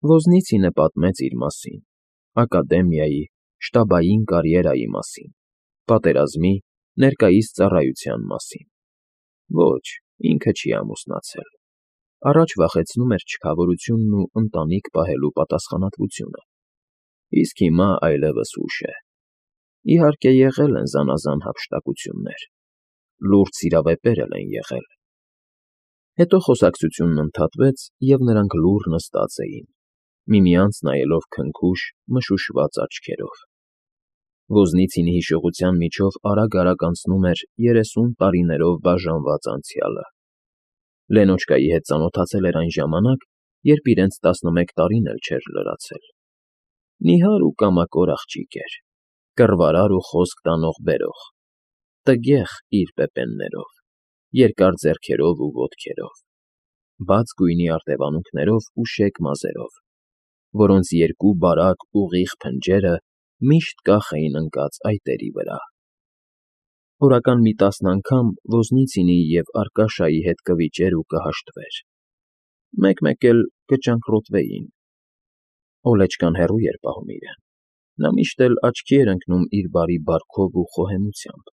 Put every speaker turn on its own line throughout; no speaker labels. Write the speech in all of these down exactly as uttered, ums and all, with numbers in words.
Ոզնիցինը պատմեց իր մասին, ակադեմիայի, շտաբային կարիերայի մասին, պատերազմի, ներկայիս ծառայության մասին. ոչ, ինքը չի ամուսնացել, առաջ վախեցնում էր չքավորությունն ու ընտանիք պահելու պատասխանատվությունը, իսկ հիմա այլևս ուշ է. իհարկե եղել են զանազան հափշտակություններ, լուրջ սիրավեպեր էլ են եղել։ Հետո խոսակցությունն ընդհատվեց, և նրանք լուռ նստած էին, միմյանց նայելով քնքուշ, մշուշված աչքերով։ Ոզնիցինի հիշողության միջով արագ֊արագ անցնում էր երեսուն տարիներով բաժանված անցյալը։ Լենոչկայի հետ ծանոթացել էր այն ժամանակ, երբ իրենց տասնմեկ տարին էլ չէր լրացել։ Նիհար ու կամակոր աղջիկ էր, կռվարար ու խոսք տանող֊բերող, տգեղ իր պեպեններով, երկար ձեռքերով ու ոտքերով, բաց գույնի արտևանունքներով ու շեկ մազերով, որոնց երկու բարակ, ուղիղ փնջերը միշտ կախ էին ընկած այտերի վրա։ Օրական մի տասն անգամ Ոզնիցինի և Արկաշայի հետ կվիճեր ու կհաշտվեր, մեկ֊մեկ էլ կճանկռոտվեին։ Օլեչկան հեռու էր պահում իրեն, նա միշտ էլ աչքի էր ընկնում իր բարի բարքով ու խոհեմությամբ։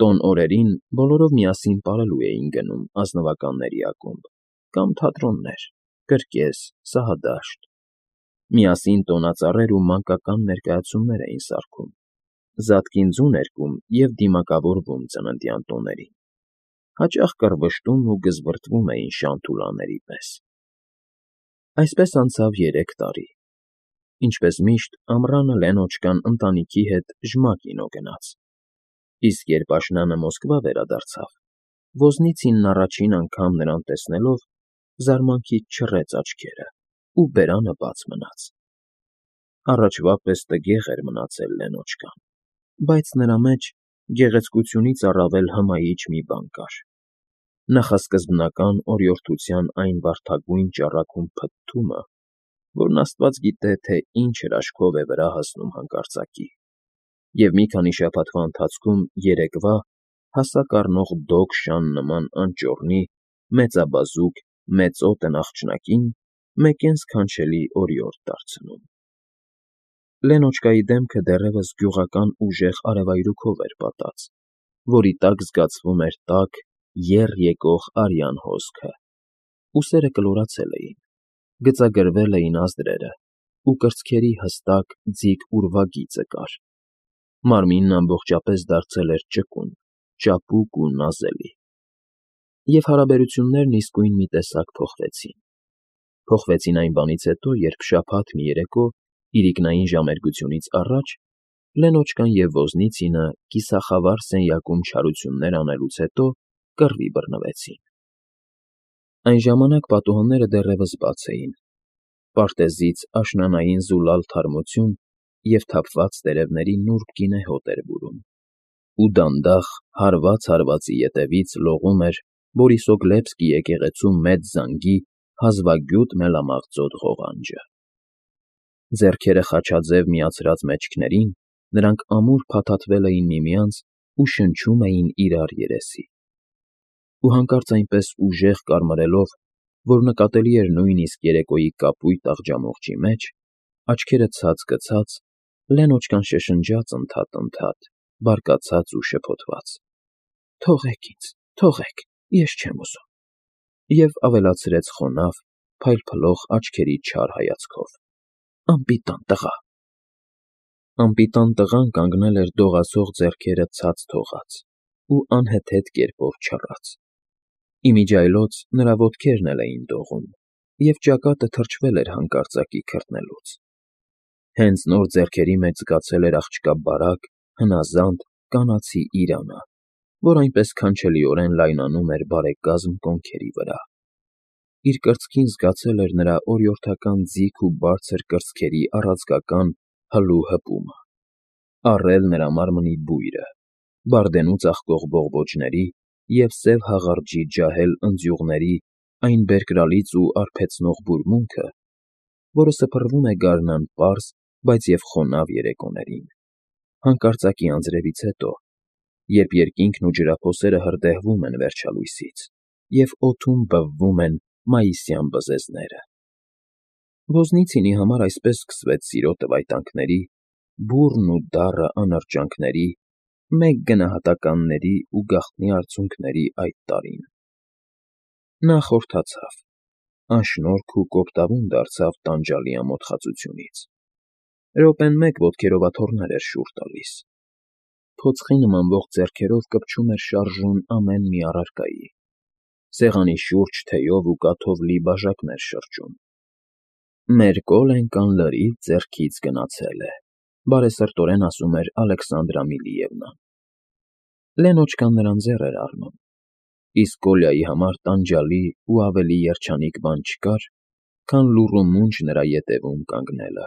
Տոն օրերին բոլորով միասին պարելու էին գնում ազնվականների ակումբ կամ թատրոններ, կրկես, սահադաշտ, միասին տոնածառեր ու մանկական ներկայացումներ էին սարքում, զատկին ձուն երգում և դիմակավորվում ծննդյան տոներին, հաճախ կռվշտում ու գզվռտվում էին շան֊թուլաների պես։ Այսպես անցավ երեք տարի։ Ինչպես միշտ, ամռանը Լենոչկան ընտանիքի հետ Ժմակինո գնաց, իսկ երբ աշնանը Մոսկվա վերադարձավ, Ոզնիցինն առաջին անգամ նրան տեսնելով զարմանքից չռեց աչքերը ու բերանը բաց մնաց։ Առաջվա պես տգեղ էր մնացել Լենոչկան, բայց նրա մեջ գեղեցկությունից առավել հմայիչ մի բան կար. նախասկզբնական օրիորդության այն վարդագույն ճառագում փթթումը, որն աստված գիտե, թե ինչ հրաշքով է վրա հասնում հանկարծակի, և մի քանի շաբաթվա ընթացքում երեկվա հասակ առնող դոկ շան նման անճոռնի, մեծաբազուկ, մեծօդը նախճնակին մեկեն սքանչելի օրիորդ դարձնում։ Լենոչկայի դեմքը դեռևս գյուղական ուժեղ արևայրուքով էր պատած, որի տակ զգացվում էր տաք, եռ եկող արյան հոսքը, ուսերը կլորացել էին, գծագրվել էին ազդրերը ու կրծքերի հստակ, ձիգ ուրվագիծը կար, մարմինն ամբողջապես դարձել էր ճկուն, ճապուկ ու նազելի։ Եվ հարաբերություններն իսկույն մի տեսակ փոխվեցին։ Փոխվեցին այն բանից հետո, երբ շաբաթ մի երեկո, իրիկնային ժամերգությունից առաջ, Լենոչկան և Ոզնիցինը կիսախավար սենյակում չարություններ անելուց հետո կռվի բռնվեցին։ Այն ժամանակ պատուհանները դեռևս բաց էին, պարտեզից աշնանային զուլալ թարմություն և թափված տերևների նուրբ գինեհոտ էր բուրում, ու դանդաղ, հարված հարվածի ետևից լողում էր Բորիսոգլեբսկի եկեղեցու մեծ զանգի հազվագյուտ մելամաղձոտ ղողանջը։ Ձեռքերը խաչաձև միացրած մեջքներին, նրանք ամուր փաթաթվել էին միմյանց ու շնչում էին իրար երեսի։ Ու հանկարծ այնպես ուժեղ կարմրելով, որ նկատելի էր նույնիսկ երեկոյի կապույտ աղջամուղջի մեջ, աչքերը ցած գցած, Լենոչկան շշնջաց ընդհատ֊ընդհատ, բարկացած ու շփոթված. «Թողեք ինձ, թողեք, ես չեմ ուզում», և ավելացրեց խոնավ, փայլփլող աչքերի չար հայացքով. «Անպիտան տղա»։ Անպիտան տղան կանգնել էր դողացող ձեռքերը ցած թողած ու անհեթեթ կերպով չռած։ Ի միջի այլոց նրա ոտքերն էլ էին դողում, և ճակատը թրջվել էր հանկարծակի քրտնելուց։ Հենց նոր ձեռքերի մեջ զգացել էր աղջկա բարակ, հնազանդ, կանացի իրանը, որ այնպես քանչելիորեն լայնանում էր բարեկազմ կոնքերի վրա։ Իր կրծքին զգացել էր նրա օրիորդական ձիգ ու բարձր կրծքերի առաձգական հլու հպումը, առել նրա մարմնի բույրը, բարդենու ծաղկող բողբոջների և սև հաղարջի ջահել ընձյուղների այն բերկրալից ու արբեցնող բուրմունքը, որը սփռվում է գարնան պարզ, բայց և խոնավ երեկոներին, հանկարծակի անձրևից հետո, երբ երկինքն ու ջրափոսերը հրդեհվում են վերջալույսից, և օդում բվվում են մայիսյան բզեզները։ Ոզնիցինի համար այսպես սկսվեց սիրո տվայտանքների, բուռն ու դառը անրջանքների, մեկ գնահատականների ու գաղտնի արցունքների այդ տարին. նա խորթացավ, անշնորհք ու կոպտավուն դարձավ տանջալի ամոթխածությունից, րոպեն մեկ ոտքերով աթոռներ էր շուռ տալիս, փոցխի նմանվող ձեռքերով կպչում էր շարժուն ամեն մի առարկայի, սեղանի շուրջ թեյով ու կաթով լի բաժակներ շրջում։ «Մեր Կոլենկան լրիվ ձեռքից գնացել է», բարեսրտորեն ասում էր Ալեքսանդրա Միլիևնան։ Լենոչկան նրան ձեռ էր առնում, իսկ Կոլյայի համար տանջալի ու ավելի երջանիկ բան չկար, քան լուռ ու մունջ նրա ետևում կանգնելը,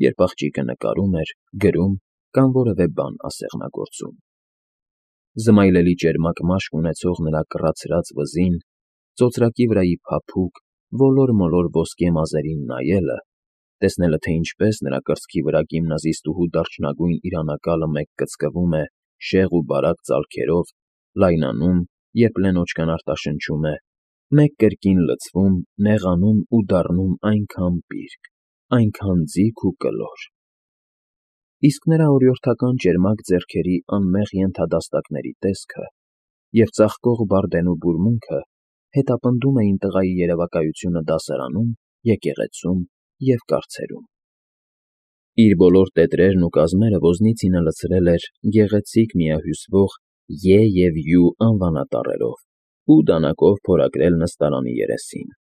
երբ աղջիկը նկարում էր, գրում կամ որևէ բան ասեղնագործում։ Զմայլելի ճերմակ մաշկ ունեցող նրա կռացրած վզին, ծոծրակի վրայի փափուկ, ոլոր֊մոլոր ոսկե մազերին նայելը, տեսնելը, թե ինչպես նրա կրծքի վրա գիմնազիստուհու դարչնագույն իրանակալը մեկ կծկվում է շեղ ու բարակ ծալքերով, լայնանում, երբ Լենոչկան արտաշնչում է, մեկ կրկին լցվում, նեղանում ու դառնում այնքան պիրկ, այնքան ձիգ ու կլոր։ Իսկ նրա օրիորդական ճերմակ ձեռքերի անմեղ ենթադաստակների տեսքը և ծաղկող բարդենու բուրմունքը հետապնդում էին տղայի երևակայությունը դասարանում, եկեղեցում և կառցերում։ Իր բոլոր տետրերն ու կազմերը Ոզնիցինը լցրել էր գեղեցիկ միահյուսվող Ե և Յու անվանատառերով ու դանակով փորագրել նստարանի երեսին,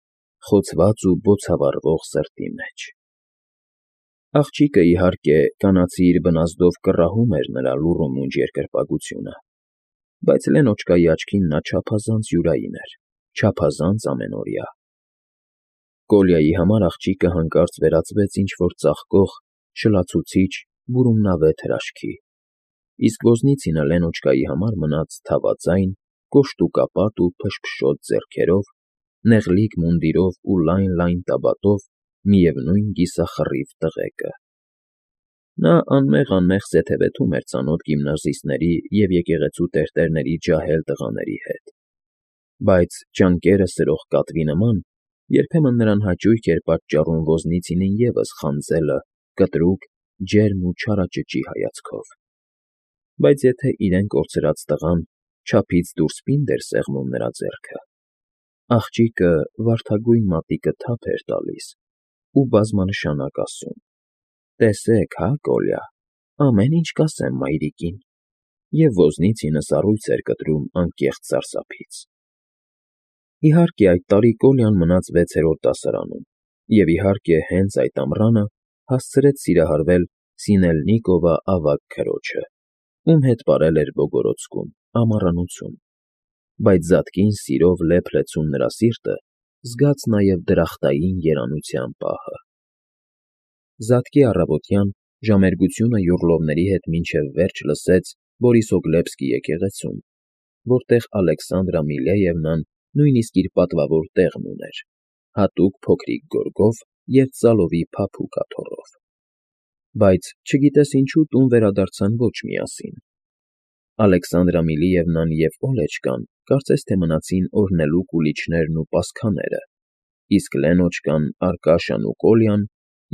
խոցված ու բոցավառվող սրտի մեջ։ Աղջիկը, իհարկե, կանացի իր բնազդով կռահում էր նրա լուռ ու մունջ երկրպագությունը, բայց Լենոչկայի աչքին նա չափազանց յուրային էր, չափազանց ամենօրյա։ Կոլյայի համար աղջիկը հանկարծ վերածվեց ինչ֊որ ծաղկող, շլացուցիչ, բուրումնավետ հրաշքի, իսկ Ոզնիցինը Լենոչկայի համար մնաց թավաձայն, կոշտուկապատ ու փշփշոտ ձեռքերով, նեղլիկ մունդիրով ու լայն֊լայն տաբատով միևնույն կիսախռիվ տղեկը։ Նա անմեղ֊անմեղ զեթևեթում էր ծանոթ գիմնազիստների և եկեղեցու տերտերների ջահել տղաների հետ, բայց, ճանկերը սրող կատվի նման, երբեմն նրան հաճույք էր պատճառում Ոզնիցինին ևս խանձելը կտրուկ, ջերմ ու չարաճճի հայացքով։ Բայց եթե իրեն կորցրած տղան չափից դուրս պինդ էր սեղմում նրա ձեռքը, աղջիկը վարդագույն մատիկը թափ էր տալիս ու բազմանշանակ ասում. «Տեսեք, հա, Կոլյա, ամեն ինչ կասեմ մայրիկին», և Ոզնիցինը սառույց էր կտրում անկեղծ սարսափից։ Իհարկե, այդ տարի Կոլյան մնաց վեցերորդ դասարանում և, իհարկե, հենց այդ ամռանը հասցրեց սիրահարվել Սինելնիկովա ավագ քրոջը, ում հետ ապրել էր Բոգորოდսկում, ամառանոցում, բայց զատկին սիրով լեփ֊լեցուն նրա սիրտը զգաց նաև դրախտային երանության պահը։ Զատկի առավոտյան ժամերգությունը յոռլովների հետ մինչև վերջ լսեց Բորիսոգլեբսկի եկեղեցում, որտեղ Ալեքսանդրա Միլեևնան նույնիսկ իր պատվավոր տեղն ուներ, հատուկ փոքրիկ գորգով և ծալովի փափուկ աթոռով։ Բայց, չգիտես ինչու, տուն վերադարձան ոչ միասին. Ալեքսանդրա Միլիևնան և Օլեչկան կարծես թե մնացին օրհնելու կուլիչներն ու պասխաները, իսկ Լենոչկան, Արկաշան ու Կոլյան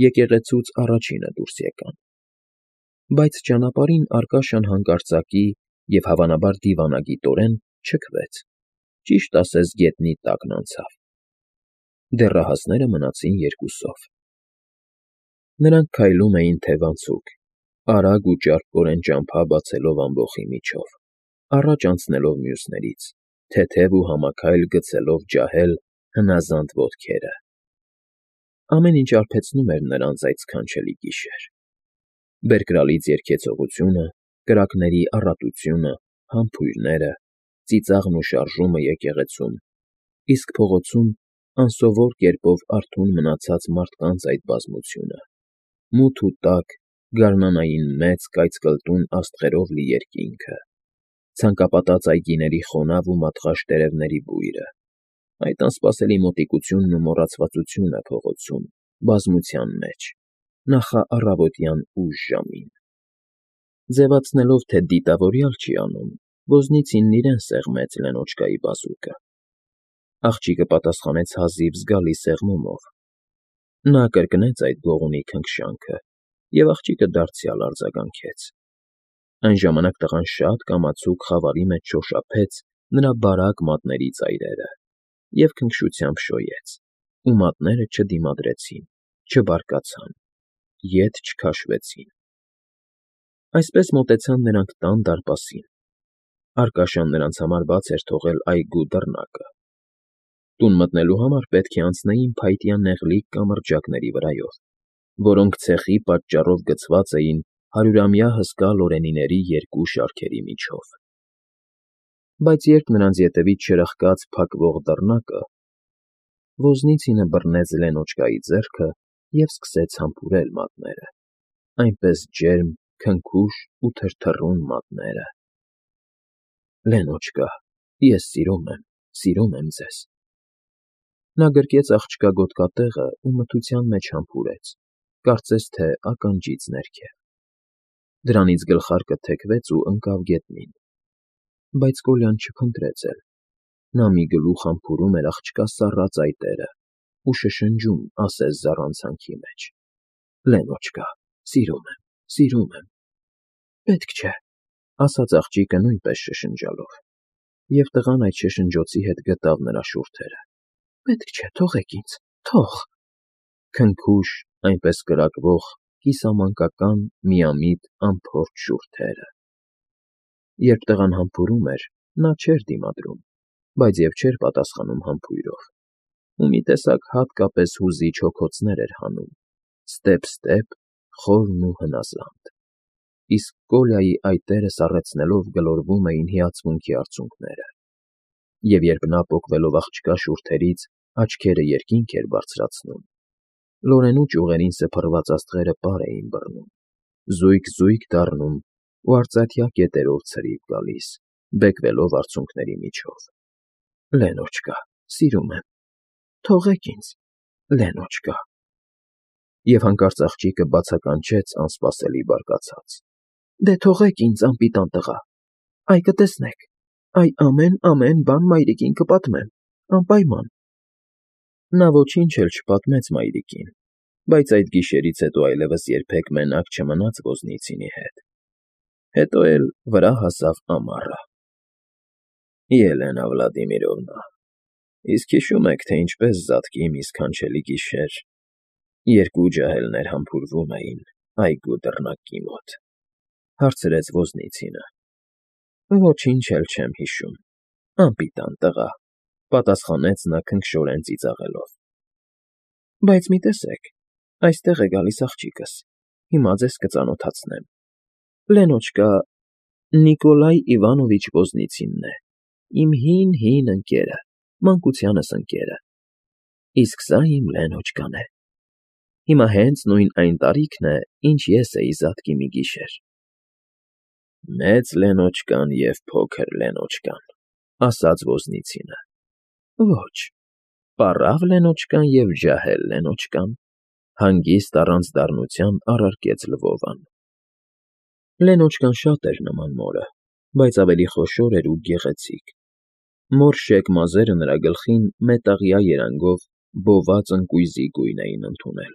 եկեղեցուց առաջինը դուրս եկան։ Բայց ճանապարհին Արկաշան հանկարծակի և, հավանաբար, դիվանագիտորեն չքվեց, ճիշտ ասած գետնի տակն անցավ։ Դեռահասները մնացին երկուսով։ Նրանք քայլում էին թևանցուկ, արագ ու ճարպկորեն ճամփա բացելով ամբոխի միջով, առաջ անցնելով մյուսներից, թեթև ու համաքայլ գցելով ջահել, հնազանդ ոտքերը։ Ամեն ինչ արբեցնում էր նրանց այդ սքանչելի գիշեր. բերկրալից երգեցողությունը, կրակների առատությունը, համբույրները, ծիծաղն ու շարժումը եկեղեցում, իսկ փողոցում անսովոր կերպով արթուն մնացած մարդկանց այդ բազմությունը, մութ ու տաք, գարնանային մեծ կայծկլտուն աստղերով լի երկինքը, ցանկապատած այգիների խոնավ ու մատղաշ տերևների բույրը, այդ անսպասելի մոտիկությունն ու մոռացվածությունը փողոցում, բազմության մեջ, նախառավոտյան ուշ ժամին։ Ձևացնելով, թե դիտավորյալ չի անում, Ոզնիցինն իրեն սեղմեց Լենոչկայի բազուկը։ Աղջիկը պատասխանեց հազիվ զգալի սեղմումով, Նա կրկնեց այդ գողունի քնքշանքը և աղջիկը դարձյալ արձագանքեց։ Այն ժամանակ տղան շատ կամացուկ խավարի մեջ շոշափեց նրա բարակ մատների ծայրերը և քնքշությամբ շոյեց, ու մատները չդիմադրեցին, չբարկացան, ետ չքաշվեցին։ Այսպես մոտեցան նրանք տան դարպասին. Արքաշան նրանց համար բաց էր թողել այգու դռնակը։ Տուն մտնելու համար պետք է անցնեին փայտյա նեղլիկ կամրջակների վրայով, որոնք ցեխի պատճառով գցված էին հարյուրամյա հսկա լորենիների երկու շարքերի միջով։ Բայց երբ նրանց ետևից շրխկաց փակվող դռնակը, Ոզնիցինը բռնեց Լենոչկայի ձեռքը և սկսեց համբուրել մատները, այնպես ջերմ, քնքուշ ու թրթռուն մատները։ Լենոչկա, ես սիրում եմ, սիրում եմ ձեզ։ Նա գրկեց աղջկա գոտկատեղը ու մթության մեջ համբուրեց, կարծես թե ականջից ներքև։ Դրանից գլխարկը թեքվեց ու ընկավ գետնին։ Բայց Կոլյան չփնտրեց էլ։ Նա մի գլուխ համբուրում էր աղջկա սառած այտերը ու շշնջում ասես զառանցանքի մեջ. Լենոչկա, սիրում եմ, սիրում եմ։ Պետք չէ, ասաց աղջիկը նույնպես շշնջալով, և տղան այդ շշնջոցի հետ գտավ նրա շուրթերը։ Պետք չէ, թողեք ինձ, թող… Քնքուշ, այնպես կրակվող, կիսամանկական, միամիտ, անփորձ շուրթերը։ Երբ տղան համբուրում էր, նա չէր դիմադրում, բայց և չէր պատասխանում համբույրով, ու մի տեսակ հատկապես հուզիչ հոգոցներ էր հանում, ստեպ֊ստեպ, խորն ու հնազանդ, իսկ Կոլյայի այտերը սառեցնելով գլորվում էին հիացմունքի արցունքները, և երբ նա պոկվելով աղջկա շուրթերից աչքերը երկինք էր բարձրացնում, լորենու ճյուղերին սփռված աստղերը պար էին բռնում, զույգ֊զույգ դառնում ու արծաթյա կետերով ցրիվ գալիս, բեկվելով արցունքների միջով։ Լենոչկա, սիրում եմ, թողեք ինձ, Լենոչկա… Եվ հանկարծ աղջիկը բացականչեց անսպասելի բարկացած. Դե թողեք ինձ, անպիտան տղա, այ կտեսնեք, այ ամեն֊ամեն բան մայրիկին կպատմեմ, անպայման… Նա ոչինչ էլ չպատմեց մայրիկին, բայց այդ գիշերից հետո այլևս երբեք մենակ չմնաց Ոզնիցինի հետ։ Հետո էլ վրա հասավ ամառը։ Ելենա Վլադիմիրովնա, իսկ հիշո՞ւմ եք, թե ինչպես զատկի մի սքանչելի գիշեր երկու ջահելներ համբուրվում էին այգու դռնակի մոտ, հարցրեց Ոզնիցինը։ Ոչինչ էլ չեմ հիշում, անպիտան տղա, պատասխանեց նա քնքշորեն ծիծաղելով։ Բայց մի տեսեք, այստեղ է գալիս աղջիկս, հիմա ձեզ կծանոթացնեմ։ Լենոչկա, Նիկոլայ Իվանովիչ Ոզնիցինն է, իմ հին֊հին ընկերը, մանկությանս ընկերը, իսկ սա իմ Լենոչկան է։ Հիմա հենց նույն այն տարիքն է, ինչ ես էի զատկի մի գիշեր։ Մեծ Լենոչկան և փոքր Լենոչկան, ասաց Ոզնիցինը։ Ոչ, պառավ Լենոչկան և ջահել Լենոչկան, հանգիստ առանց դառնության առարկեց Լվովան։ Լենոչկան շատ էր նման մորը, բայց ավելի խոշոր էր ու գեղեցիկ։ Մորշեք մազերը նրա գլխին մետաղյա երանգով բոված ընկույզի գույն էին ընդունել։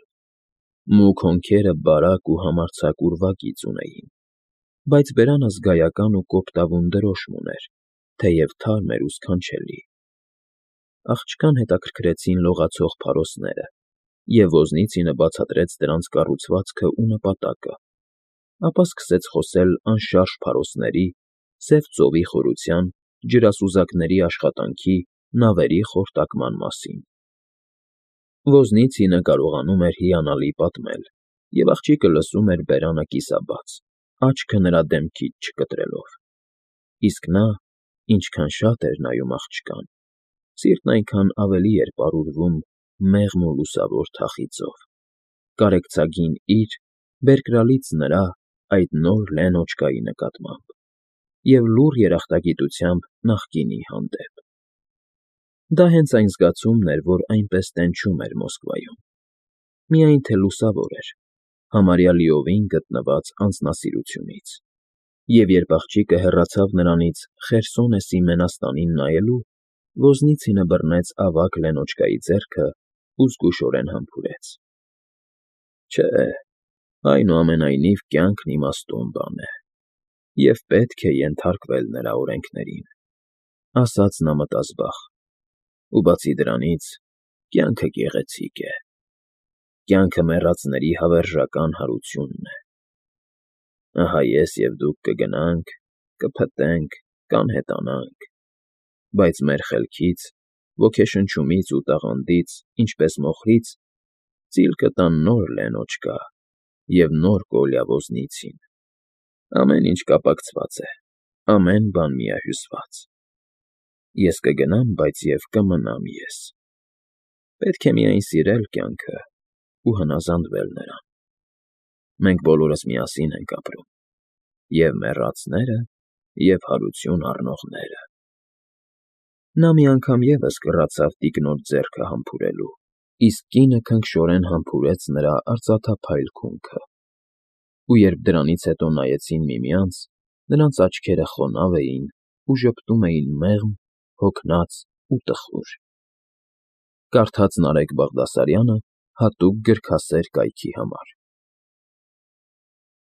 Մուգ հոնքերը բարակ ու համարձակ ուրվագիծ ունեին, բայց բերանը զգայական ու կոպտավուն դրոշմ ուներ, թեև թարմ էր ու սքանչելի։ Աղջկան հետաքրքրեցին լողացող փարոսները, և Ոզնիցինը բացատրեց դրանց կառուցվածքն ու նպատակը, ապա սկսեց խոսել անշարժ փարոսների, սև ծովի խորության, ջրասուզակների աշխատանքի, նավերի խորտակման մասին։ Ոզնիցինը կարողանում էր հիանալի պատմել, և աղջիկը լսում էր բերանը կիսաբաց, աչքը նրա դեմքից չկտրելով։ Իսկ նա, ինչքան շատ էր նայում աղջկան, սիրտն այնքան ավելի էր պարուրվում մեղմ ու լուսավոր թախիծով, կարեկցագին իր, բերկրալից նրա այդ նոր Լենոչկայի նկատմամբ և լուռ երախտագիտությամբ նախկինի հանդեպ։ Դա հենց այն զգացումն էր, որ այնպես տենչում էր Մոսկվայում, միայն թե լուսավոր էր, համարյա լիովին գտնված անձնասիրությունից, և երբ աղջիկը հեռացավ նրանից Խերսոնեսի մենաստանին նայելու, Ոզնիցինը բռնեց ավագ Լենոչկայի ձեռքը ու զգուշորեն համբուրեց։ Չէ, այնուամենայնիվ կյանքն իմաստուն բան է, և պետք է ենթարկվել նրա օրենքներին, ֊ ասաց նա մտազբաղ, ֊ ու բացի դրանից, կյանքը գեղեցիկ է, կյանքը մեռածների հավերժական հարությունն է. ահա ես և դուք կգնանք, կփտենք, կանհետանանք, բայց մեր խելքից, ոգեշնչումից ու տաղանդից, ինչպես մոխրից, ծիլ կտան նոր Լենոչկա և նոր Կոլյա ոզնիցին. ամեն ինչ կապակցված է, ամեն բան միահյուսված. ես կգնամ, բայց և կմնամ ես. պետք է միայն սիրել կյանքը ու հնազանդվել նրան. մենք բոլորս միասին ենք ապրում, և՛ մեռածները, և՛ հարություն առնողները… Նա մի անգամ ևս կռացավ տիկնոջ ձեռքը համբուրելու, իսկ կինը քնքշորեն համբուրեց նրա արծաթափայլ քունքը, ու երբ դրանից հետո նայեցին միմյանց, նրանց աչքերը խոնավ էին ու ժպտում էին մեղմ, հոգնած ու տխուր… Կարդաց Նարեկ Բաղդասարյանը հատուկ գրքասեր կայքի համար։